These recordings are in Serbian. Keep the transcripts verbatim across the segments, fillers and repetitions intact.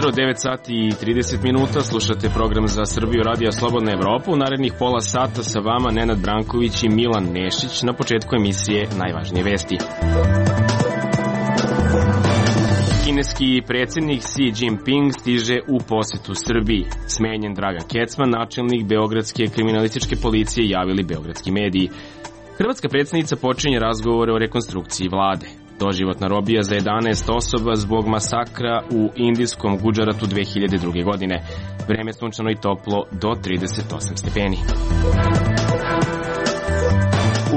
jutro, devet sati i trideset minuta, slušate program za Srbiju Radija Slobodna Evropa. U narednih pola sata sa vama Nenad Branković i Milan Nešić. Na početku emisije najvažnije vesti. Kineski predsjednik Xi Jinping stiže u posetu Srbiji. Smenjen Dragan Kecman, načelnik Beogradske kriminalističke policije, javili beogradski mediji. Hrvatska predsjednica počinje razgovore o rekonstrukciji vlade. Doživotna robija za jedanaest osoba zbog masakra u indijskom Gudžaratu dve hiljade druge. godine. Vreme sunčano i toplo do trideset osam stepeni.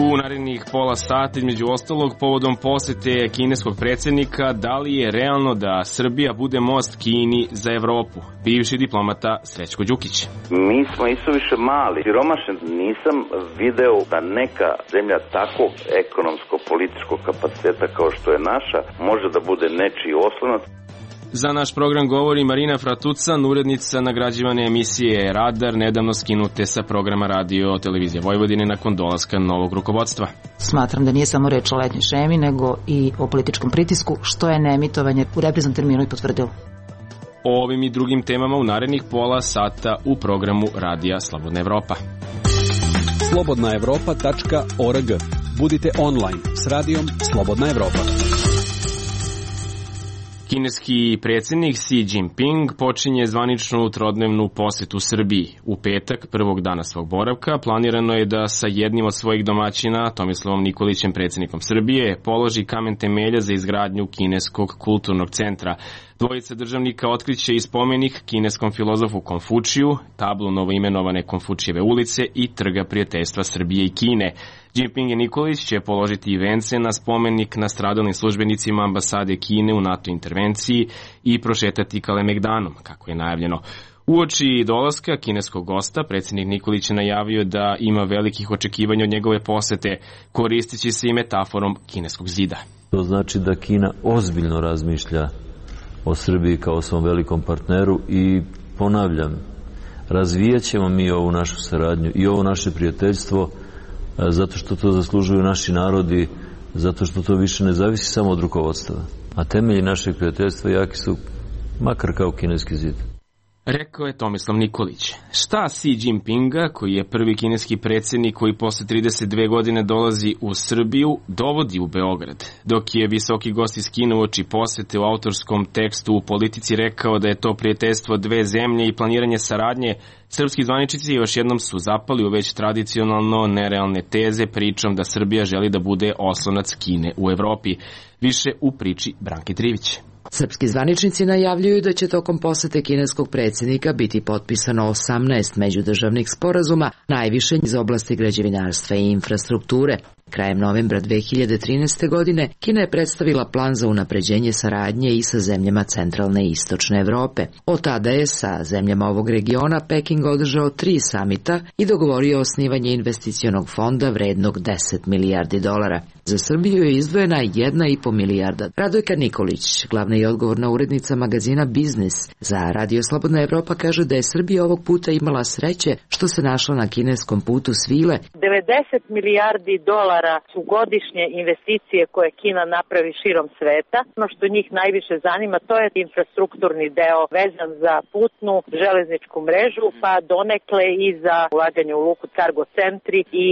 U narednih pola sata, između ostalog, povodom posete kineskog predsjednika, da li je realno da Srbija bude most Kini za Evropu? Bivši diplomata Srećko Đukić. Mi smo isuviše mali, siromašni. Nisam video da neka zemlja takvog ekonomsko-političkog kapaciteta kao što je naša može da bude nečiji oslonac. Za naš program govori Marina Fratucan, urednica nagrađivane emisije Radar, nedavno skinute sa programa Radio Televizije Vojvodine nakon dolaska novog rukovodstva. Smatram da nije samo reč o letnjoj šemi, nego i o političkom pritisku, što je neemitovanje u repriznom terminu i potvrdilo. O ovim i drugim temama u narednih pola sata u programu Radija Slobodna Evropa. slobodna evropa tačka org. Budite online s radijom Slobodna Evropa. Kineski predsjednik Xi Jinping počinje zvaničnu trodnevnu posetu Srbiji. U petak, prvog dana svog boravka, planirano je da sa jednim od svojih domaćina, Tomislavom Nikolićem, predsjednikom Srbije, položi kamen temelja za izgradnju Kineskog kulturnog centra. Dvojica državnika otkriće i spomenik kineskom filozofu Konfučiju, tablu novoimenovane Konfučijeve ulice i trga prijateljstva Srbije i Kine. Jinping i Nikolić će položiti i vence na spomenik nastradalim službenicima ambasade Kine u NATO intervenciji i prošetati Kalemegdanom, kako je najavljeno. Uoči dolaska kineskog gosta, predsjednik Nikolić je najavio da ima velikih očekivanja od njegove posete, koristeći se i metaforom kineskog zida. To znači da Kina ozbiljno razmišlja o Srbiji kao svom velikom partneru i ponavljam, razvijat ćemo mi ovu našu saradnju i ovo naše prijateljstvo zato što to zaslužuju naši narodi, zato što to više ne zavisi samo od rukovodstva. A temelji našeg prijateljstva jaki su makar kao kineski zid. Rekao je Tomislav Nikolić. Šta Xi Jinpinga, koji je prvi kineski predsjednik koji posle trideset dve godine dolazi u Srbiju, dovodi u Beograd? Dok je visoki gost iz Kine uoči posete u autorskom tekstu u Politici rekao da je to prijateljstvo dve zemlje i planiranje saradnje, srpski zvaničnici još jednom su zapali u već tradicionalno nerealne teze pričom da Srbija želi da bude oslonac Kine u Evropi. Više u priči Branke Trivić. Srpski zvaničnici najavljuju da će tokom posete kineskog predsjednika biti potpisano osamnaest međudržavnih sporazuma, najviše iz oblasti građevinarstva i infrastrukture. Krajem novembra dve hiljade trinaeste. godine Kina je predstavila plan za unapređenje saradnje i sa zemljama centralne i istočne Evrope. Od tada je sa zemljama ovog regiona Peking održao tri samita i dogovorio osnivanje investicionog fonda vrednog deset milijardi dolara. Za Srbiju je izdvojena jedna i po milijarda. Radojka Nikolić, glavna i odgovorna urednica magazina Biznis za Radio Slobodna Evropa, kaže da je Srbija ovog puta imala sreće što se našla na kineskom putu svile. devedeset milijardi dolara su godišnje investicije koje Kina napravi širom sveta. Ono što njih najviše zanima, to je infrastrukturni deo vezan za putnu železničku mrežu, pa donekle i za ulaganje u luku, cargo centri i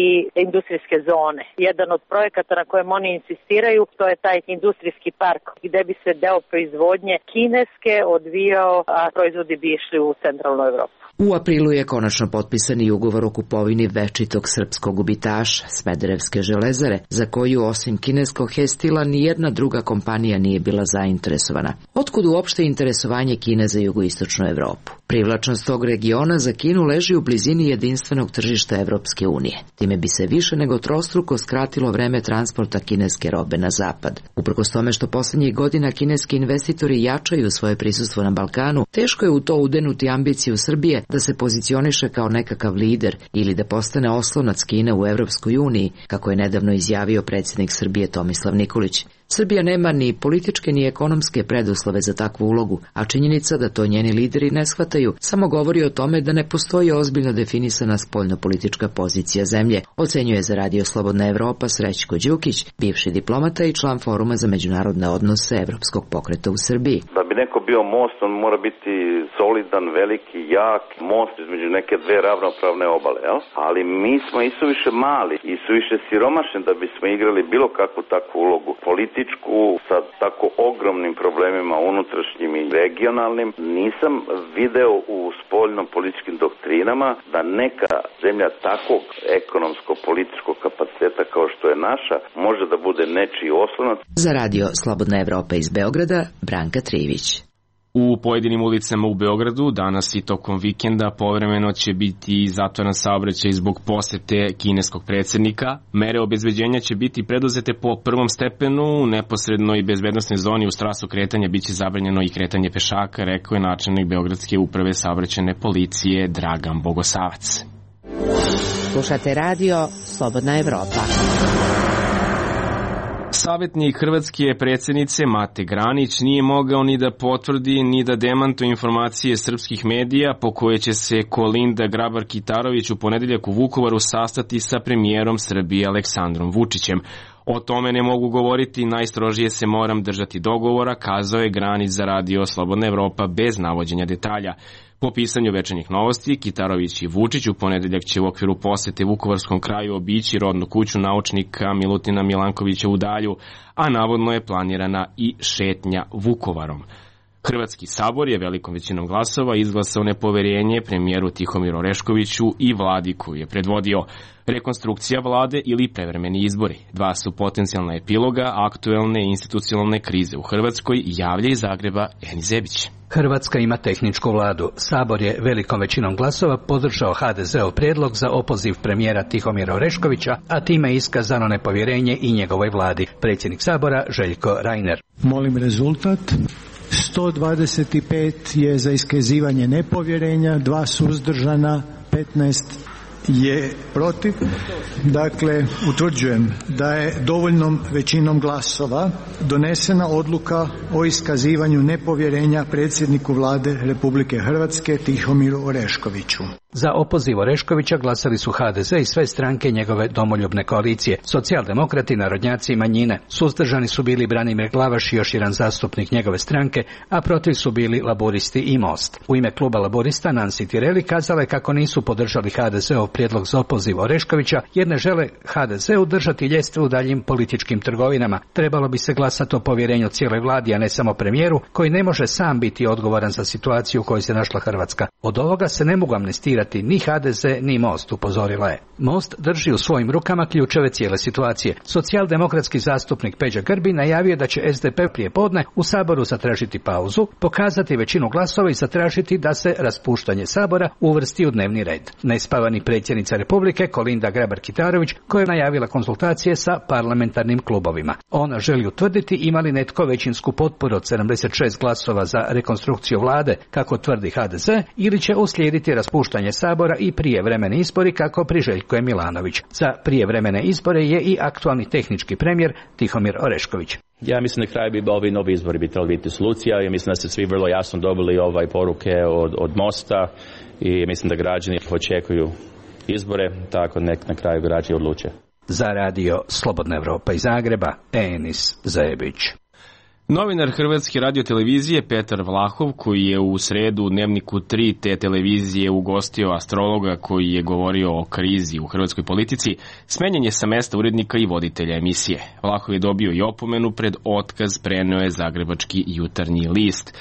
industrijske zone. Jedan od projekata na kojem oni insistiraju, to je taj industrijski park gde bi se deo proizvodnje kineske odvijao, a proizvodi bi išli u centralnu Evropu. U aprilu je konačno potpisan i ugovor o kupovini večitog srpskog gubitaša, Smederevske železare, za koju osim kineskog Hestila nijedna druga kompanija nije bila zainteresovana. Otkud uopšte interesovanje Kine za jugoistočnu Evropu? Privlačnost tog regiona za Kinu leži u blizini jedinstvenog tržišta Evropske unije. Time bi se više nego trostruko skratilo vreme transporta kineske robe na zapad. Uprkos tome što poslednjih godina kineski investitori jačaju svoje prisustvo na Balkanu, teško je u to udenuti ambiciju Srbije da se pozicioniše kao nekakav lider ili da postane oslonac Kine u Evropskoj uniji, kako je nedavno izjavio predsjednik Srbije Tomislav Nikolić. Srbija nema ni političke ni ekonomske preduslove za takvu ulogu, a činjenica da to njeni lideri ne shvataju samo govori o tome da ne postoji ozbiljno definisana spoljnopolitička pozicija zemlje, ocenjuje za Radio Slobodna Evropa Srećko Đukić, bivši diplomata i član Foruma za međunarodne odnose Evropskog pokreta u Srbiji. Da bi neko bio most, on mora biti solidan, veliki, jak, most između neke dve ravnopravne obale, jel? Ali mi smo isuviše mali, isuviše siromašni da bismo igrali bilo kakvu takvu ulogu političku sa tako ogromnim problemima unutrašnjim i regionalnim. Nisam video u spoljno-političkim doktrinama da neka zemlja takvog ekonomsko-političkog kapaciteta kao što je naša može da bude nečiji oslonac. Za Radio Slobodna Evropa iz Beograda, Branka Trivić. U pojedinim ulicama u Beogradu danas i tokom vikenda povremeno će biti zatvoren saobraćaj zbog posete kineskog predsjednika. Mere obezbeđenja će biti preduzete po prvom stepenu, u neposrednoj bezbednosnoj zoni u strasu kretanja biće zabranjeno i kretanje pešaka, rekao je načelnik Beogradske uprave saobraćajne policije Dragan Bogosavac. Slušate Radio Slobodna Evropa. Savjetnik hrvatske predsjednice Mate Granić nije mogao ni da potvrdi ni da demantuje informacije srpskih medija po koje će se Kolinda Grabar-Kitarović u ponedeljak u Vukovaru sastati sa premijerom Srbije Aleksandrom Vučićem. O tome ne mogu govoriti, najstrožije se moram držati dogovora, kazao je Granić za Radio Slobodna Evropa bez navođenja detalja. Po pisanju Večernjih novosti, Kitarović i Vučić u ponedeljak će u okviru posete Vukovarskom kraju obići rodnu kuću naučnika Milutina Milankovića u Dalju, a navodno je planirana i šetnja Vukovarom. Hrvatski sabor je velikom većinom glasova izglasao nepoverenje premijeru Tihomiru Oreškoviću i vladi koju je predvodio. Rekonstrukcija vlade ili prevremeni izbori. Dva su potencijalna epiloga aktuelne institucionalne krize u Hrvatskoj, javlja iz Zagreba Eni Zebić. Hrvatska ima tehničku vladu. Sabor je velikom većinom glasova podržao ha de zeov prijedlog za opoziv premijera Tihomira Oreškovića, a time je iskazano nepovjerenje i njegovoj vladi. Predsjednik Sabora Željko Reiner. Molim rezultat. sto dvadeset pet je za iskazivanje nepovjerenja, dva suzdržana, petnaest je protiv. Dakle, utvrđujem da je dovoljnom većinom glasova donesena odluka o iskazivanju nepovjerenja predsjedniku vlade Republike Hrvatske Tihomiru Oreškoviću. Za opoziv Oreškovića glasali su ha de ze i sve stranke njegove domoljubne koalicije, socijaldemokrati, narodnjaci i manjine. Suzdržani su bili Branimir Glavaš i još jedan zastupnik njegove stranke, a protiv su bili Laburisti i Most. U ime kluba Laburista Nancy Tireli kazala je kako nisu podržali ha de zeov prijedlog za opoziv Oreškovića, jer ne žele ha de zeu držati ljestve u daljim političkim trgovinama. Trebalo bi se glasati o povjerenju cijeloj vladi, a ne samo premijeru, koji ne može sam biti odgovoran za situaciju u kojoj se našla Hrvatska. Od ovoga se ne mogu amnestirati ni ha de ze ni Most, upozorila je. Most drži u svojim rukama ključeve cijele situacije. Socijaldemokratski zastupnik Peđa Grbin najavio da će es de pe prije podne u Saboru zatražiti pauzu, pokazati većinu glasova i zatražiti da se raspuštanje Sabora uvrsti u dnevni red. Nespavani predsjednica Republike Kolinda Grabar-Kitarović, koja je najavila konzultacije sa parlamentarnim klubovima. Ona želi utvrditi ima li netko većinsku potporu od sedamdeset šest glasova za rekonstrukciju vlade, kako tvrdi ha de ze, ili će uslijediti raspuštanje Sabora i prijevremeni izbori, kako priželjkuje Milanović. Za prijevremene izbore je i aktualni tehnički premijer Tihomir Orešković. Ja mislim da kraj bi ovi novi izbori bi trebali biti solucija. Ja mislim da se svi vrlo jasno dobili ovaj poruke od, od Mosta i mislim da građani očekuju izbore, tako nek na kraju građani odluče. Za Radio Slobodna Evropa iz Zagreba, Enis Zebić. Novinar Hrvatske radiotelevizije Petar Vlahov, koji je u sredu u Dnevniku tri te televizije ugostio astrologa koji je govorio o krizi u hrvatskoj politici, smenjen je sa mesta urednika i voditelja emisije. Vlahov je dobio i opomenu pred otkaz, preneo je Zagrebački jutarnji list.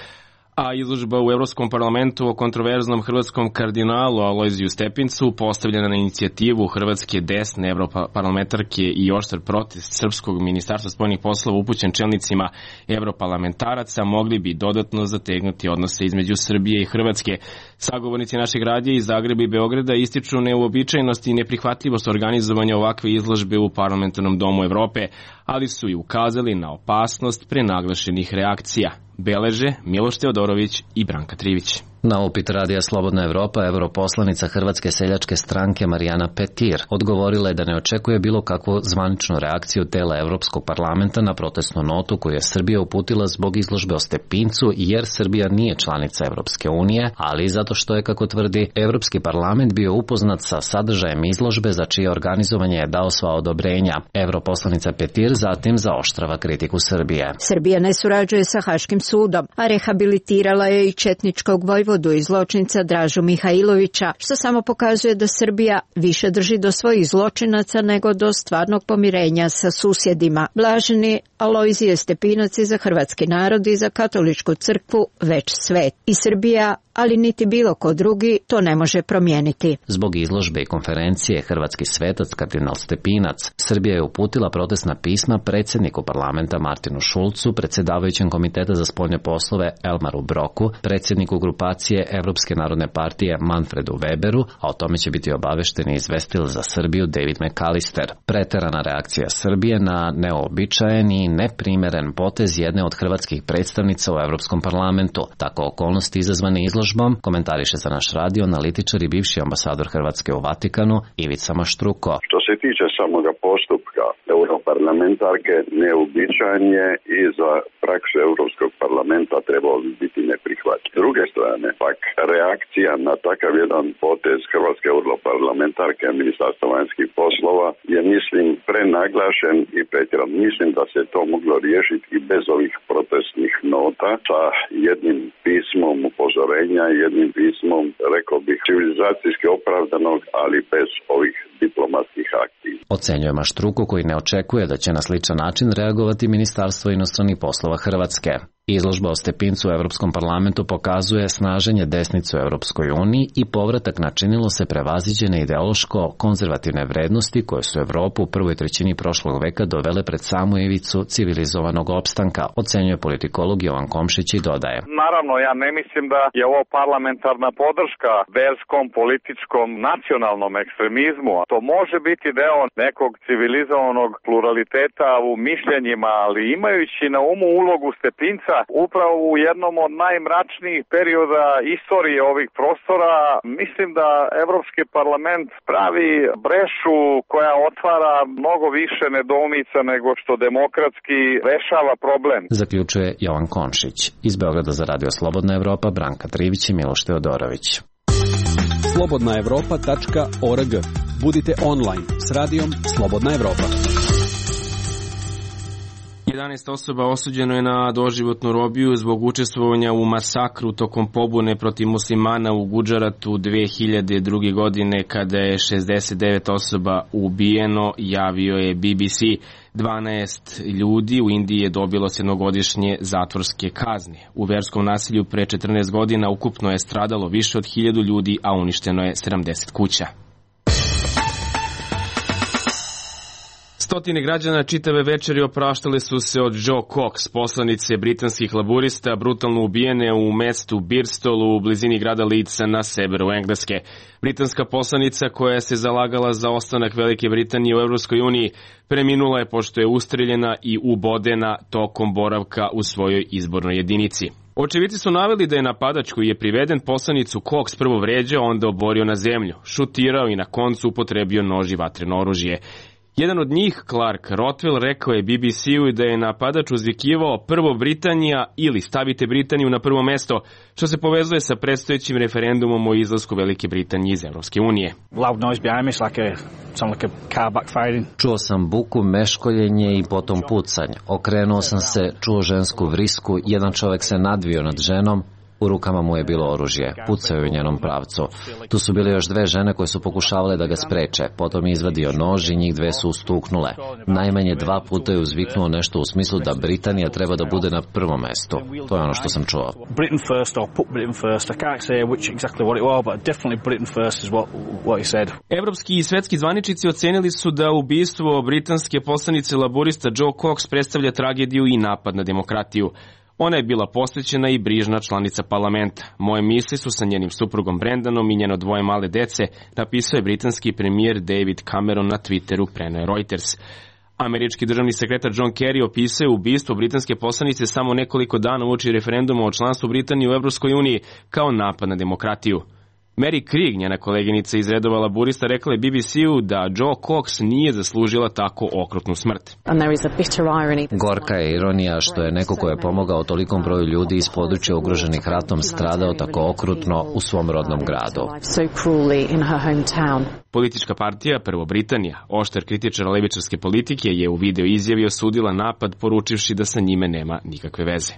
A izložba u Evropskom parlamentu o kontroverznom hrvatskom kardinalu Alojziju Stepincu, postavljena na inicijativu hrvatske desne evroparlamentarke i oštar protest Srpskog ministarstva spoljnih poslova upućen čelnicima evroparlamentaraca, mogli bi dodatno zategnuti odnose između Srbije i Hrvatske. Sagovornici našeg radija iz Zagreba i Beograda ističu neuobičajenost i neprihvatljivost organizovanja ovakve izložbe u Parlamentarnom domu Evrope, ali su i ukazali na opasnost prenaglašenih reakcija. Beleže Miloš Teodorović i Branka Trivić. Na upit Radija Slobodna Evropa, europoslanica Hrvatske seljačke stranke Marijana Petir odgovorila je da ne očekuje bilo kakvu zvaničnu reakciju tela Evropskog parlamenta na protestnu notu koju je Srbija uputila zbog izložbe o Stepincu, jer Srbija nije članica Evropske unije, ali i zato što je, kako tvrdi, Evropski parlament bio upoznat sa sadržajem izložbe za čije organizovanje je dao sva odobrenja. Europoslanica Petir zatim zaoštrava kritiku Srbije. Srbija ne surađuje sa Haškim sudom, a rehabilitirala je i četničkog vojvodu i zločinca Dražu Mihajlovića, što samo pokazuje da Srbija više drži do svojih zločinaca nego do stvarnog pomirenja sa susjedima. Blaženi Alojzije Stepinac je za hrvatski narod i za katoličku crkvu već svet. I Srbija, ali niti bilo ko drugi, to ne može promijeniti. Zbog izložbe i konferencije Hrvatski svetac kardinal Stepinac, Srbija je uputila protestna pisma predsjedniku parlamenta Martinu Šulcu, predsjedavajućem komiteta za spoljne poslove Elmaru Broku, predsjedniku grupacije Evropske narodne partije Manfredu Weberu, a o tome će biti obavešten i izvestil za Srbiju David McAllister. Preterana reakcija Srbije na neobičajen i neprimeren potez jedne od hrvatskih predstavnica u Evropskom parlamentu. Tako okolnosti izazvane izložbom komentariše za naš radio analitičar i bivši ambasador Hrvatske u Vatikanu Ivica Maštruko. Što se tiče samoga postupka europarlamentarke, neuobičajen je i za praksu Europskog parlamenta trebalo bi biti neprihvatljiv. S druge strane, pak reakcija na takav jedan potez Hrvatske europarlamentarke Ministarstva vanjskih poslova je, mislim, prenaglašen i pretjeran. Mislim da se to moglo riješiti i bez ovih protestnih nota sa jednim pismom upozorenja, jednim pismom, rekao bih, civilizacijski opravdanog, ali bez ovih diplomatskih akcija. Ocenjuje Maštruku, koji ne očekuje da će na sličan način reagovati Ministarstvo inostranih poslova Hrvatske. Izložba o Stepincu u Evropskom parlamentu pokazuje snaženje desnice u Evropskoj uniji i povratak na činilo se prevaziđene ideološko-konzervativne vrednosti koje su Evropu u prvoj trećini prošlog veka dovele pred samu ivicu civilizovanog opstanka, ocenjuje politikolog Jovan Komšić i dodaje. Naravno, ja ne mislim da je ovo parlamentarna podrška verskom, političkom, nacionalnom ekstremizmu. To može biti deo nekog civilizovanog pluraliteta u mišljenjima, ali imajući na umu ulogu Stepinca upravo u jednom od najmračnijih perioda istorije ovih prostora, mislim da Evropski parlament pravi brešu koja otvara mnogo više nedoumica nego što demokratski rešava problem. Zaključuje Jovan Komšić. Iz Beograda za Radio Slobodna Evropa, Branka Trivić i Miloš Teodorović. slobodna evropa tačka org. Budite online s radijom Slobodna Evropa. jedanaest osoba osuđeno je na doživotnu robiju zbog učestvovanja u masakru tokom pobune protiv muslimana u Gudžaratu dve hiljade druge. godine kada je šezdeset devet osoba ubijeno, javio je B B C. dvanaest ljudi u Indiji je dobilo sedmogodišnje zatvorske kazne. U verskom nasilju pre četrnaest godina ukupno je stradalo više od hiljadu ljudi, a uništeno je sedamdeset kuća. Stotine građana čitave večeri opraštale su se od Jo Cox, poslanice britanskih laburista, brutalno ubijene u mestu Birstolu u blizini grada Leedsa na severu Engleske. Britanska poslanica koja se zalagala za ostanak Velike Britanije u Evropskoj uniji preminula je pošto je ustreljena i ubodena tokom boravka u svojoj izbornoj jedinici. Očevici su naveli da je napadač koji je priveden poslanicu Cox prvo vređao, onda oborio na zemlju, šutirao i na koncu upotrebio nož i vatreno oružje. Jedan od njih, Clark Rothwell, rekao je B B C-u da je napadač uzvikivao prvo Britanija ili stavite Britaniju na prvo mesto, što se povezuje sa predstojećim referendumom o izlasku Velike Britanije iz Evropske unije. Čuo sam buku, meškoljenje i potom pucanje. Okrenuo sam se, čuo žensku vrisku, jedan čovek se nadvio nad ženom, u rukama mu je bilo oružje, pucao je u njenom pravcu. Tu su bile još dve žene koje su pokušavale da ga spreče, potom je izvadio nož i njih dve su ustuknule. Najmanje dva puta je uzviknuo nešto u smislu da Britanija treba da bude na prvom mestu. To je ono što sam čuo. Evropski i svetski zvaničnici ocenili su da ubistvo britanske poslanice laburista Jo Cox predstavlja tragediju i napad na demokratiju. Ona je bila posvećena i brižna članica parlamenta. Moje misli su sa njenim suprugom Brendanom i njeno dvoje male dece, napisao je britanski premijer David Cameron na Twitteru, preneo Reuters. Američki državni sekretar John Kerry opisuje ubistvo britanske poslanice samo nekoliko dana uoči referenduma o članstvu Britanije u Evropskoj uniji kao napad na demokratiju. Mary Krieg, njena koleginica iz redova laburista, rekla je B B C-u da Jo Cox nije zaslužila tako okrutnu smrt. Gorka je ironija što je neko ko je pomogao tolikom broju ljudi iz područja ugroženih ratom stradao tako okrutno u svom rodnom gradu. Politička partija Prvo Britanija, oštar kritičar levičarske politike, je u video izjavi osudila napad poručivši da sa njime nema nikakve veze.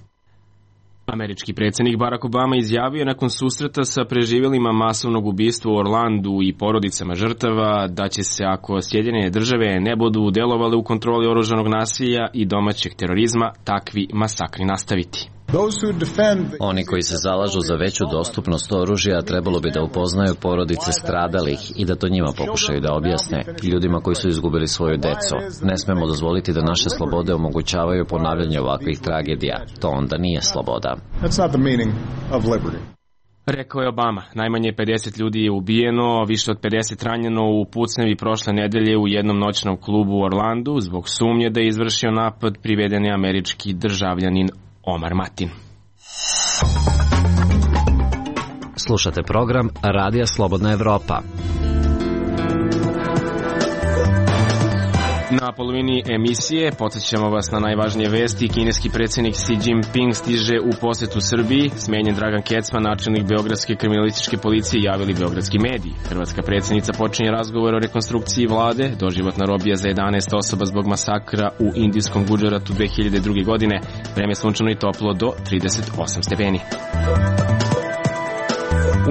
Američki predsjednik Barack Obama izjavio nakon susreta sa preživjelima masovnog ubistva u Orlandu i porodicama žrtava da će se, ako Sjedinjene države ne budu delovale u kontroli oružanog nasilja i domaćeg terorizma, takvi masakri nastaviti. Oni koji se zalažu za veću dostupnost oružja trebalo bi da upoznaju porodice stradalih i da to njima pokušaju da objasne, ljudima koji su izgubili svoju decu. Ne smemo dozvoliti da naše slobode omogućavaju ponavljanje ovakvih tragedija. To onda nije sloboda. Rekao je Obama. Najmanje pedeset ljudi je ubijeno, više od pedeset ranjeno u pucnjevi prošle nedelje u jednom noćnom klubu u Orlandu zbog sumnje da je izvršio napad priveden je američki državljanin Omar Matin. Slušate program Radija Slobodna Evropa. Na polovini emisije podsjećamo vas na najvažnije vesti. Kineski predsjednik Xi Jinping stiže u posjetu Srbiji. Smenjen Dragan Kecman, načelnik Beogradske kriminalističke policije, javili beogradski mediji. Hrvatska predsjednica počinje razgovor o rekonstrukciji vlade. Doživotna robija za jedanaest osoba zbog masakra u indijskom Gudžaratu dve hiljade druge. godine. Vreme sunčano i toplo do trideset osam stepeni.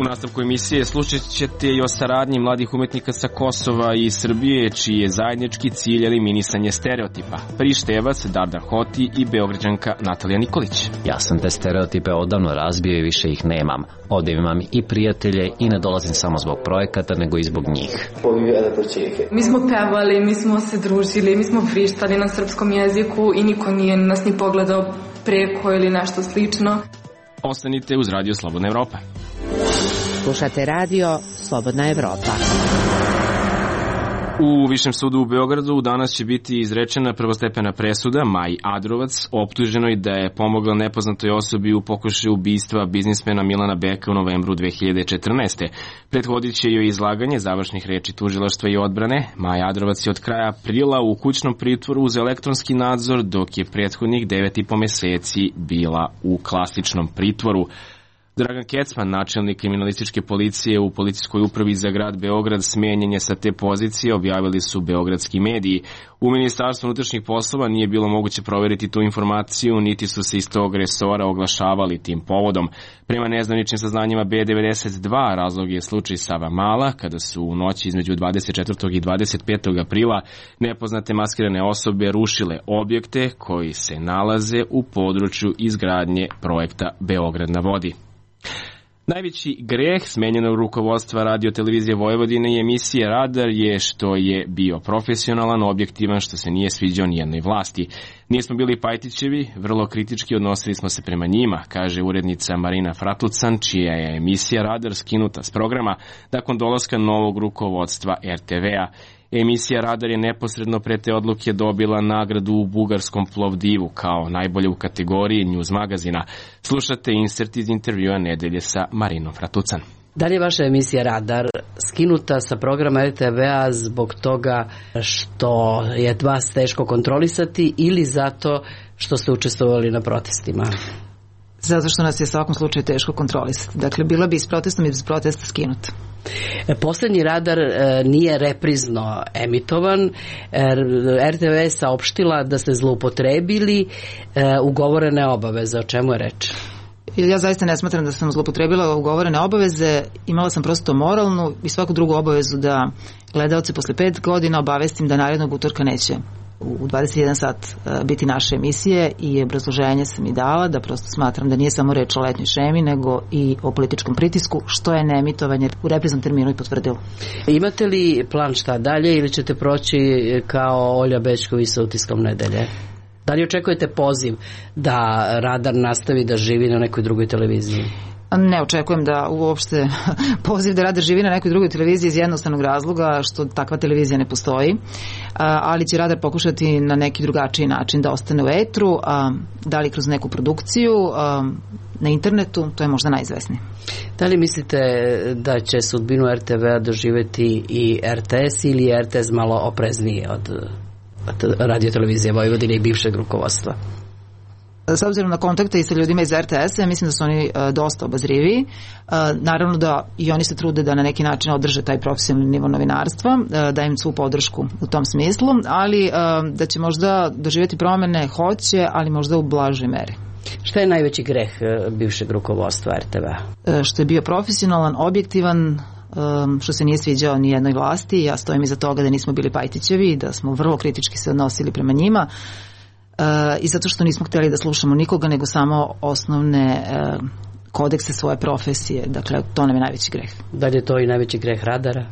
U nastavku emisije slušat ćete i o saradnji mladih umetnika sa Kosova i Srbije, čiji je zajednički cilj eliminisanje stereotipa. Prištevac Dardan Hoti i Beograđanka Natalija Nikolić. Ja sam te stereotipe odavno razbio i više ih nemam. Ovdje imam i prijatelje i ne dolazim samo zbog projekata, nego i zbog njih. Mi smo pevali, mi smo se družili, mi smo frištali na srpskom jeziku i niko nije nas ni pogledao preko ili nešto slično. Ostanite uz Radio Slobodna Evropa. Slušate radio Slobodna Evropa. U Višem sudu u Beogradu danas će biti izrečena prvostepena presuda Maji Adrovac, optuženoj da je pomogla nepoznatoj osobi u pokušaju ubistva biznismena Milana Beka u novembru dve hiljade četrnaeste. Prethodit će joj izlaganje završnih reči tužilaštva i odbrane. Maja Adrovac je od kraja aprila u kućnom pritvoru uz elektronski nadzor, dok je prethodnih devet i po meseci bila u klasičnom pritvoru. Dragan Kecman, načelnik kriminalističke policije u policijskoj upravi za grad Beograd, smenjen je sa te pozicije, objavili su beogradski mediji. U Ministarstvu unutrašnjih poslova nije bilo moguće proveriti tu informaciju, niti su se iz tog resora oglašavali tim povodom. Prema nezvaničnim saznanjima B devedeset dva, razlog je slučaj Sava Mala, kada su u noći između dvadeset četvrtog i dvadeset petog aprila nepoznate maskirane osobe rušile objekte koji se nalaze u području izgradnje projekta Beograd na vodi. Najveći greh smenjenog rukovodstva Radio televizije Vojvodine i emisije Radar je što je bio profesionalan, objektivan, što se nije sviđao nijednoj vlasti. Nismo bili Pajtićevi, vrlo kritički odnosili smo se prema njima, kaže urednica Marina Fratucan, čija je emisija Radar skinuta s programa nakon dolaska novog rukovodstva R T V-a. Emisija Radar je neposredno pre te odluke dobila nagradu u bugarskom Plovdivu kao najbolje u kategoriji News magazina. Slušate insert iz intervjua nedelje sa Marinom Fratucan. Da li je vaša emisija Radar skinuta sa programa R T V-a zbog toga što je vas teško kontrolisati ili zato što ste učestvovali na protestima? Zato što nas je u svakom slučaju teško kontrolisati. Dakle, bila bi s protestom i bez protesta skinuta. Poslednji Radar e, nije reprizno emitovan. R T V je saopštila da ste zloupotrebili e, ugovorene obaveze. O čemu je reč? Ja zaista ne smatram da sam zloupotrebila ugovorene obaveze. Imala sam prosto moralnu i svaku drugu obavezu da gledaoce posle pet godina obavestim da narednog utorka neće u dvadeset jedan sat biti naše emisije i obrazloženje sam i dala da prosto smatram da nije samo reč o letnjoj šemi nego i o političkom pritisku, što je neemitovanje u repriznom terminu i potvrdilo. Imate li plan šta dalje ili ćete proći kao Olja Bećković sa Utiskom nedelje? Da li očekujete poziv da Radar nastavi da živi na nekoj drugoj televiziji? Ne očekujem da uopšte poziv da rade živi na nekoj drugoj televiziji iz jednostavnog razloga što takva televizija ne postoji, ali će Radar pokušati na neki drugačiji način da ostane u etru, da li kroz neku produkciju na internetu, to je možda najizvesnije. Da li mislite da će sudbinu er te ve-a doživjeti i er te es ili je er te es malo opreznije od, od Radio-televizije Vojvodine i bivšeg rukovodstva? S obzirom na kontakte i sa ljudima iz er te es-a, mislim da su oni uh, dosta obazriviji. Uh, naravno da i oni se trude da na neki način održe taj profesionalni nivo novinarstva, uh, da im svu podršku u tom smislu, ali uh, da će možda doživjeti promene, hoće, ali možda u blažoj meri. Šta je najveći greh uh, bivšeg rukovodstva er te ve-a? Uh, što je bio profesionalan, objektivan, um, što se nije sviđao ni jednoj vlasti. Ja stojim iza toga da nismo bili Pajtićevi, da smo vrlo kritički se odnosili prema njima. Uh, i zato što nismo htjeli da slušamo nikoga nego samo osnovne uh, kodekse svoje profesije, dakle to nam je najveći greh. Da li je to i najveći greh Radara?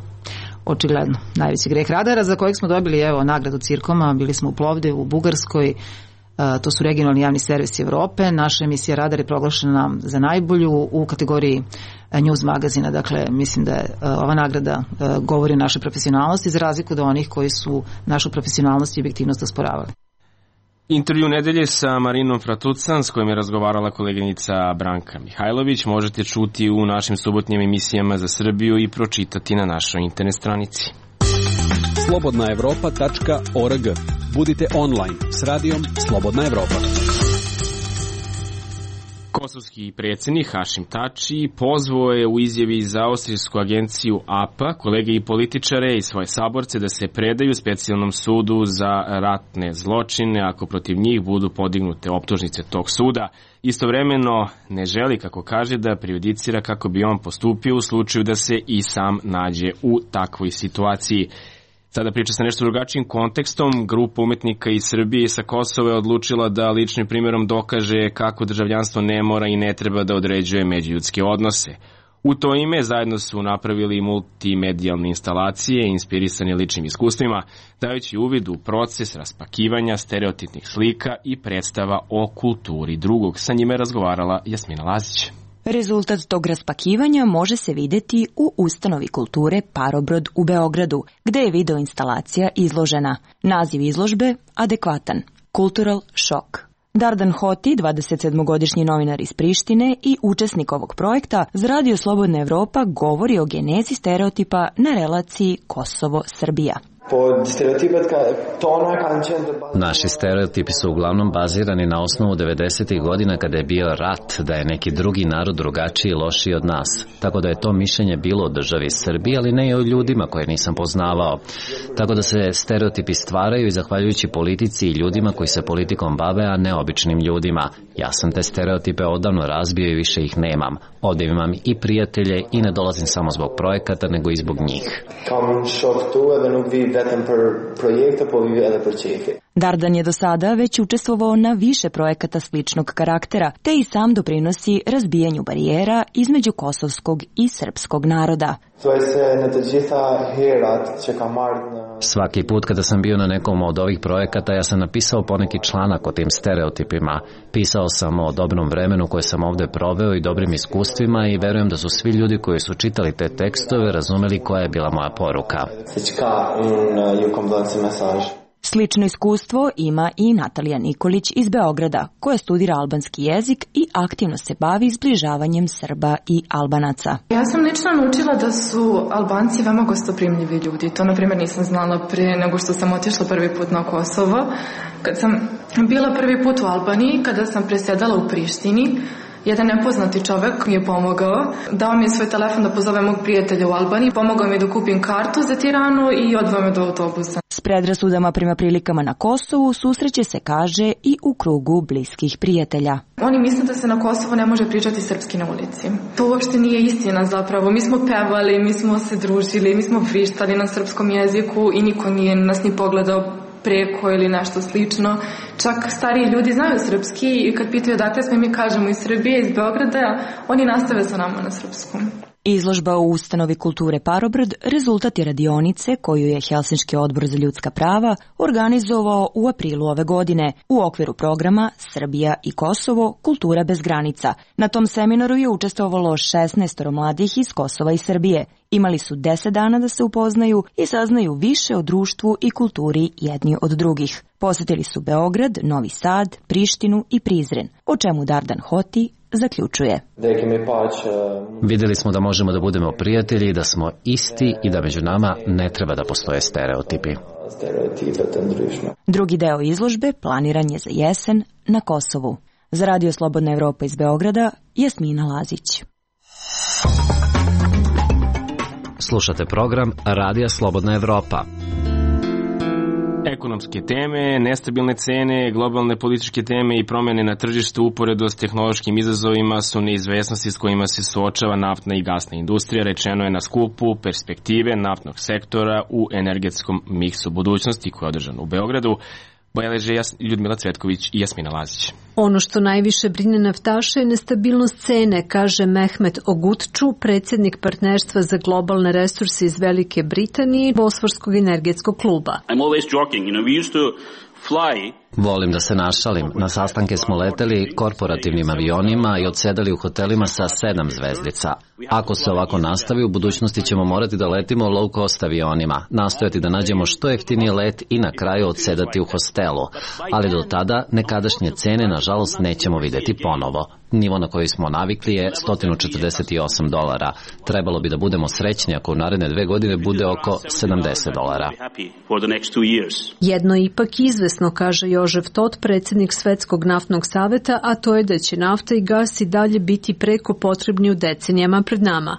Očigledno, najveći greh Radara za kojeg smo dobili evo nagradu Cirkoma, bili smo u Plovdivu, u Bugarskoj, uh, to su regionalni javni servisi Evrope, naša emisija Radar je proglašena za najbolju u kategoriji uh, news magazina, dakle mislim da je uh, ova nagrada uh, govori o našoj profesionalnosti za razliku od onih koji su našu profesionalnost i objektivnost osporavali. Intervju nedelje sa Marinom Fratucan, s kojom je razgovarala koleginica Branka Mihajlović, možete čuti u našim subotnjim emisijama za Srbiju i pročitati na našoj internet stranici. slobodna evropa tačka org. Budite online s radijom Slobodna Evropa. Kosovski predsjednik Hašim Tači pozvao je u izjavi za austrijsku agenciju A P A kolege i političare i svoje saborce da se predaju specijalnom sudu za ratne zločine ako protiv njih budu podignute optužnice tog suda. Istovremeno ne želi, kako kaže, da prejudicira kako bi on postupio u slučaju da se i sam nađe u takvoj situaciji. Sada priča sa nešto drugačijim kontekstom. Grupa umetnika iz Srbije i sa Kosova je odlučila da ličnim primjerom dokaže kako državljanstvo ne mora i ne treba da određuje međuljudske odnose. U to ime zajedno su napravili multimedijalne instalacije inspirisane ličnim iskustvima, dajući uvid u proces raspakivanja stereotipnih slika i predstava o kulturi drugog. Sa njime je razgovarala Jasmina Lazić. Rezultat tog raspakivanja može se vidjeti u ustanovi kulture Parobrod u Beogradu, gde je video instalacija izložena. Naziv izložbe adekvatan – Cultural Shock. Dardan Hoti, dvadesetsedmogodišnji novinar iz Prištine i učesnik ovog projekta, za Radio Slobodna Evropa govori o genezi stereotipa na relaciji Kosovo-Srbija. Naši stereotipi su uglavnom bazirani na osnovu devedesetih godina kada je bio rat, da je neki drugi narod drugačiji i lošiji od nas. Tako da je to mišljenje bilo o državi Srbiji, ali ne i o ljudima koje nisam poznavao. Tako da se stereotipi stvaraju i zahvaljujući politici i ljudima koji se politikom bave, a ne običnim ljudima. Ja sam te stereotipe odavno razbio i više ih nemam. Ovdje imam i prijatelje i ne dolazim samo zbog projekata, nego i zbog njih. Dardan je do sada već učestvovao na više projekata sličnog karaktera, te i sam doprinosi razbijanju barijera između kosovskog i srpskog naroda. Svaki put kada sam bio na nekom od ovih projekata, ja sam napisao poneki članak o tim stereotipima. Pisao sam o dobrom vremenu koje sam ovdje proveo i dobrim iskustvima i verujem da su svi ljudi koji su čitali te tekstove razumeli koja je bila moja poruka. Slično iskustvo ima i Natalija Nikolić iz Beograda, koja studira albanski jezik i aktivno se bavi zbližavanjem Srba i Albanaca. Ja sam lično naučila da su Albanci veoma gostoprimljivi ljudi. To, na primjer, nisam znala pre nego što sam otišla prvi put na Kosovo. Kad sam bila prvi put u Albaniji, kada sam presjedala u Prištini, jedan nepoznati čovek mi je pomogao. Dao mi je svoj telefon da pozove mog prijatelja u Albaniji, pomogao mi da kupim kartu za Tiranu i odveo me do autobusa. S predrasudama prema prilikama na Kosovu susreće se, kaže, i u krugu bliskih prijatelja. Oni misle da se na Kosovu ne može pričati srpski na ulici. To uopšte nije istina zapravo. Mi smo pevali, mi smo se družili, mi smo vrištali na srpskom jeziku i niko nije nas ni pogledao preko ili nešto slično. Čak stariji ljudi znaju srpski i kad pitaju odakle smo, mi kažemo iz Srbije, iz Beograda, oni nastave sa nama na srpskom. Izložba u ustanovi kulture Parobrod rezultat je radionice koju je Helsinški odbor za ljudska prava organizovao u aprilu ove godine u okviru programa Srbija i Kosovo – kultura bez granica. Na tom seminaru je učestvovalo šesnaest mladih iz Kosova i Srbije. Imali su deset dana da se upoznaju i saznaju više o društvu i kulturi jedni od drugih. Posetili su Beograd, Novi Sad, Prištinu i Prizren, o čemu Dardan Hoti zaključuje. Vidjeli smo da možemo da budemo prijatelji i da smo isti i da među nama ne treba da postoje stereotipi. Drugi deo izložbe planiran je za jesen na Kosovu. Za Radio Slobodna Evropa iz Beograda, Jasmina Lazić. Slušate program Radija Slobodna Evropa. Ekonomske teme, nestabilne cene, globalne političke teme i promjene na tržištu uporedo s tehnološkim izazovima su neizvesnosti s kojima se suočava naftna i gasna industrija, rečeno je na skupu perspektive naftnog sektora u energetskom miksu budućnosti koji je održan u Beogradu. Beleže Ljudmila Cvetković i Jasmina Lazić. Ono što najviše brine naftaše je nestabilnost cene, kaže Mehmet Ogutču, predsjednik partnerstva za globalne resurse iz Velike Britanije, Bosforskog energetskog kluba. I'm always joking, you know, we used to fly. Volim da se našalim. Na sastanke smo leteli korporativnim avionima i odsedali u hotelima sa sedam zvezdica. Ako se ovako nastavi, u budućnosti ćemo morati da letimo low cost avionima, nastojati da nađemo što jeftiniji let i na kraju odsedati u hostelu. Ali do tada nekadašnje cene, nažalost, nećemo vidjeti ponovo. Nivo na koji smo navikli je sto četrdeset osam dolara. Trebalo bi da budemo srećni ako u naredne dve godine bude oko sedamdeset dolara. Jedno ipak izvesno, kaže Jožef Tot, predsjednik Svetskog naftnog saveta, a to je da će nafta i gas i dalje biti preko potrebni u decenijama pred nama.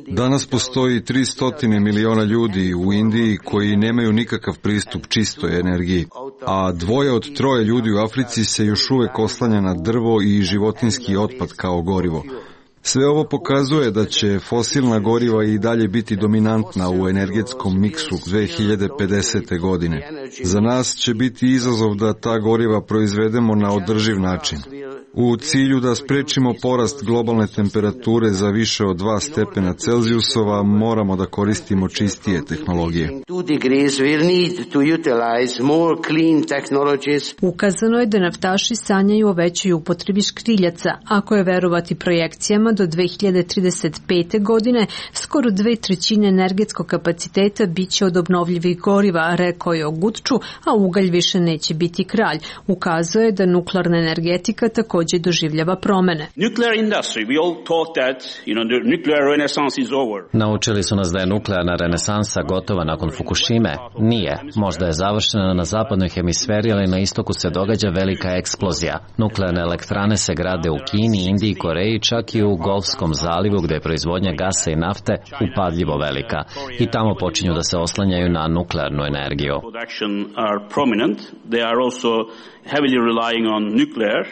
Danas postoji tristo miliona ljudi u Indiji koji nemaju nikakav pristup čistoj energiji, a dvoje od troje ljudi u Africi se još uvek oslanja na drvo i životinjski otpad kao gorivo. Sve ovo pokazuje da će fosilna goriva i dalje biti dominantna u energetskom miksu dve hiljade pedesete. godine. Za nas će biti izazov da ta goriva proizvedemo na održiv način. U cilju da sprečimo porast globalne temperature za više od dva stepena Celzijusova, moramo da koristimo čistije tehnologije. Ukazano je da naftaši sanjaju o većoj upotrebi škriljaca. Ako je verovati projekcijama, do dve hiljade trideset pete. godine skoro dve trećine energetskog kapaciteta biće od obnovljivih goriva, rekao je Ogutču, a ugalj više neće biti kralj. Ukazuje da nuklearna energetika također doživljava promene. Naučili su nas da je nuklearna renesansa gotova nakon Fukushime. Nije. Možda je završena na zapadnoj hemisferi, ali na istoku se događa velika eksplozija. Nuklearne elektrane se grade u Kini, Indiji, Koreji, čak i u Golfskom zalivu gdje je proizvodnja gasa i nafte upadljivo velika. I tamo počinju da se oslanjaju na nuklearnu energiju.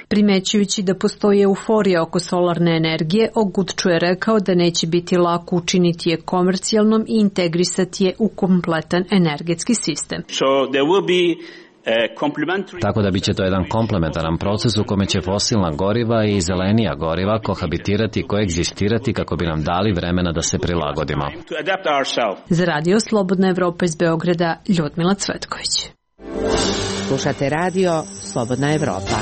Primećujući da postoji euforija oko solarne energije, Ogutču je rekao da neće biti lako učiniti je komercijalnom i integrisati je u kompletan energetski sistem. Tako da biće to jedan komplementaran proces u kome će fosilna goriva i zelenija goriva kohabitirati i koegzistirati kako bi nam dali vremena da se prilagodimo. Za Radio Slobodna Evropa iz Beograda, Ljudmila Cvetković. Slušate Radio Slobodna Evropa.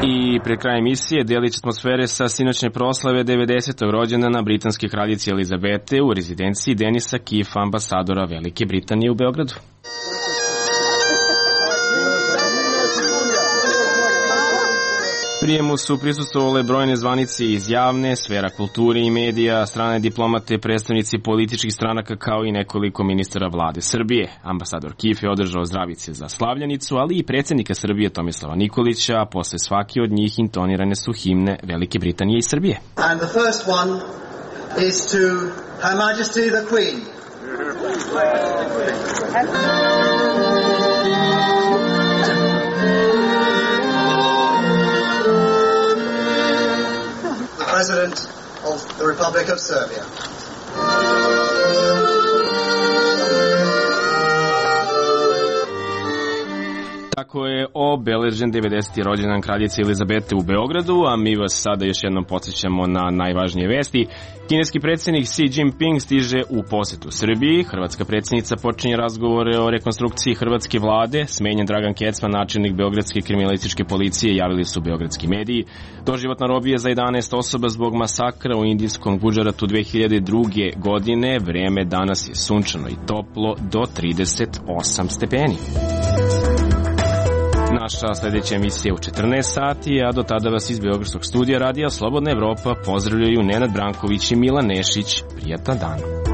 I pre kraja emisije delić atmosfere sa sinoćne proslave devedesetog rođendana britanske kraljice Elizabete u rezidenciji Denisa Keefa, ambasadora Velike Britanije u Beogradu. Prijemu su prisustvovale brojne zvanice iz javne, sfera kulture i medija, strane diplomate, predstavnici političkih stranaka kao i nekoliko ministara vlade Srbije. Ambasador Keef je održao zdravice za slavljenicu, ali i predsjednika Srbije Tomislava Nikolića, a posle svake od njih intonirane su himne Velike Britanije i Srbije. And the first one is to Her Majesty the Queen. President of the Republic of Serbia. tako je obeležen devedeseti rođendan kraljice Elizabete u Beogradu, a mi vas sada još jednom podsjećamo na najvažnije vesti. Kineski predsjednik Xi Jinping stiže u posetu Srbiji, hrvatska predsjednica počinje razgovore o rekonstrukciji hrvatske vlade, smenjen Dragan Kecman, načelnik Beogradske kriminalističke policije, javili su beogradski mediji. Doživotna robija za jedanaest osoba zbog masakra u indijskom Gudžaratu dve hiljade druge. godine, vreme danas je sunčano i toplo do trideset osam stepeni. Naša sljedeća emisija u četrnaest sati, a do tada vas iz Beogradskog studija radija Slobodna Evropa pozdravljaju Nenad Branković i Milan Nešić. Prijatan dan.